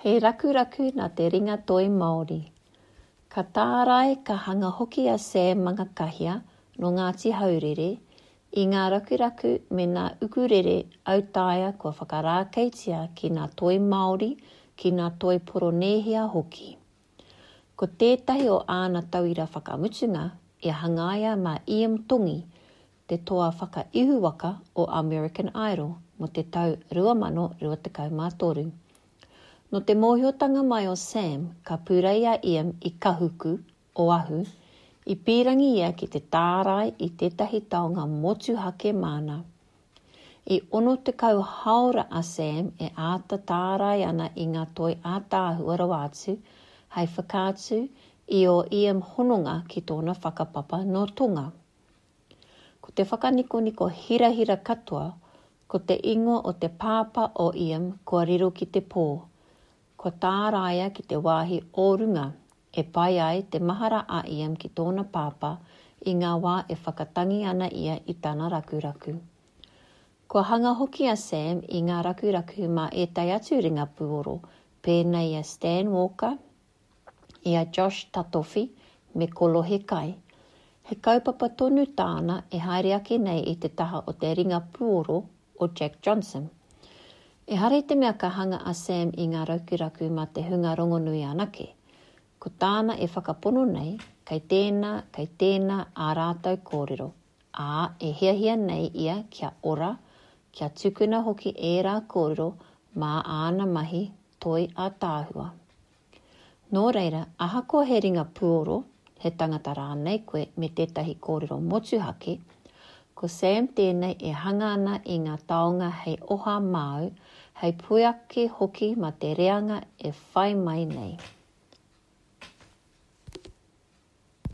He rakuraku nā te ringa toi Māori. Ka tārai, ka hanga hoki a Sam Mangakahia nō Ngāti Haurere i ngā rakuraku me nā ukurere autaia kua whakarākeitia ki nā toi Māori, ki nā toi Poronēhia hoki. Ko tētahi o āna tauira whakamutunga i hangaia mā Iam Tongi, te toa whakaihuwaka o American Idol mō te tau 2023. Nō te mōhiotanga mai o Sam ka purei a Iam i Kahuku, Oahu, i pīrangi ia ki te tārai i tētahi taonga motuhake māna. I 60 haora a Sam e āta tārai ana i ngā toi ātaahua rawa atu hei whakaatu i ō Iam hononga ki tōna whakapapa nō Tonga. Ko te whakanikoniko hirahira katoa, ko te ingoa o te pāpā o Iam kua riro ki te pō, kua tāraia ki te wāhi o runga e pai ai te mahara a Iam ki tōna pāpā i ngā wā e whakatangi ana ia i tana rakuraku. Kua hanga hoki a Sam i ngā rakuraku mā ētahi atu ringa pūoro pēnei i a Stan Walker, i a Josh Tatofi me Kolohe Kai. He kaupapa tonu tāna e haere ake nei i te taha o te ringa puoro o Jack Johnson. Ehara i te mea ka hanga a Sam i ngā raukuraku mā te hunga rongonui anake. Ko tāna e whakapono nei, kei tēnā, kei tēnā ā rātou kōrero, ā, e hiahia nei ia kia ora, kia tukuna hoki ērā kōrero mā āna mahi toi ātaahua. Nō reira, ahakoa he ringa puoro, he tangata rānei koe me tētahi kōrero motuhake, ko Sam tēnei e hanga ana i ngā taonga hei oha māu, hei pueake hoki mā te reanga e whai mai nei.